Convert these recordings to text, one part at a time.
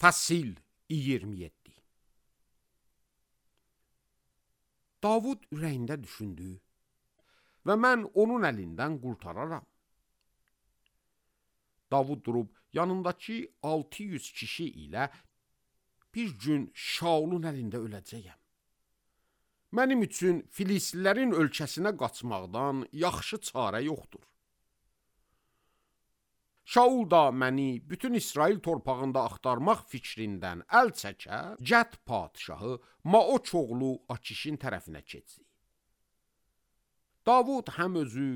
Fəsil 27. Davud ürəyində düşündü və mən onun əlindən qurtararam. Davud durub yanındakı 600 kişi ilə bir gün Şaulun əlində öləcəyəm. Mənim üçün Filislilərin ölkəsinə qaçmaqdan yaxşı çarə yoxdur. Şaul da məni bütün İsrail torpağında axtarmaq fikrindən əl çəkər, Cət padşahı Maoç oğlu Akişin tərəfinə keçdi. Davud həm özü,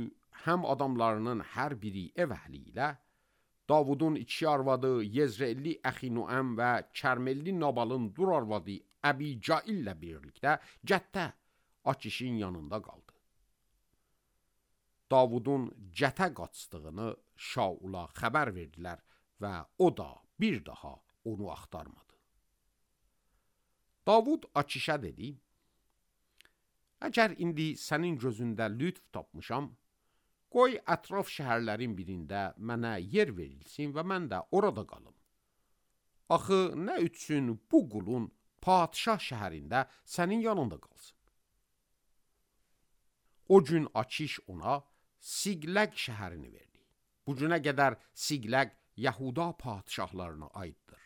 həm adamlarının hər biri ev əhli ilə, Davudun iki arvadı Yezreelli Əxinoəm və Kərmelli Nabalın dur arvadı Əbicail ilə birlikdə Cətdə Akişin yanında qaldı. Davudun Cətə qaçdığını Şaula xəbər verdilər və o da bir daha onu axtarmadı. Davud Akişə dedi, əgər indi sənin gözündə lütf tapmışam, qoy ətraf şəhərlərin birində mənə yer verilsin və mən də orada qalım. Axı nə üçün bu qulun padşah şəhərində sənin yanında qalsın? O gün Akiş ona Siqləq şəhərini verdi. Bu günə qədər Siqləq Yahuda padşahlarına aiddir.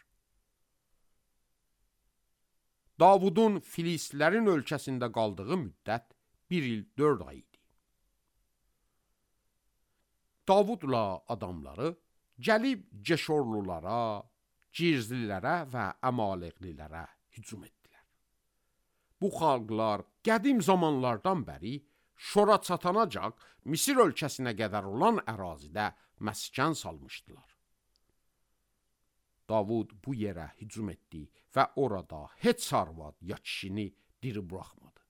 Davudun Filistlərin ölkəsində qaldığı müddət 1 il 4 ay idi. Davudla adamları gəlib Ceşorlulara, Cirzlilərə və Əmaleqlilərə hücum etdilər. Bu xalqlar qədim zamanlardan bəri Şora çatanacaq Misir ölkəsinə qədər olan ərazidə məskən salmışdılar. Davud bu yerə hücum etdi və orada heç arvad ya kişini diri buraxmadı.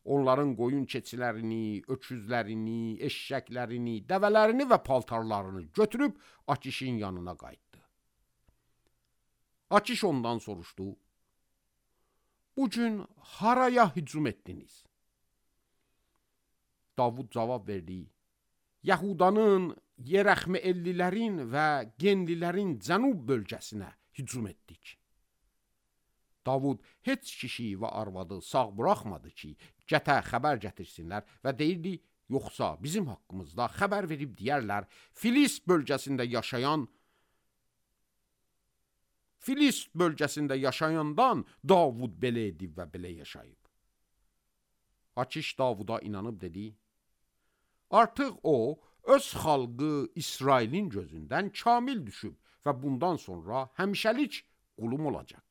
Onların qoyun keçilərini, öküzlərini, eşşəklərini, dəvələrini və paltarlarını götürüb Akişin yanına qayıtdı. Akiş ondan soruşdu, bu gün haraya hücum etdiniz? Davud cavab verdi, Yahudanın, Yerəxmeellilərin və Genlilərin cənub bölgəsinə hücum etdik. Davud heç kişi və arvadı sağ buraxmadı ki, Cətə xəbər gətirsinlər və deyirdi, yoxsa bizim haqqımızda xəbər verib deyərlər, Filist bölgəsində yaşayandan Davud belə edib və belə yaşayıb. Akiş Davuda inanıb dedi, artıq o, öz xalqı İsrailin gözündən kamil düşüb və bundan sonra həmişəlik qulum olacaq.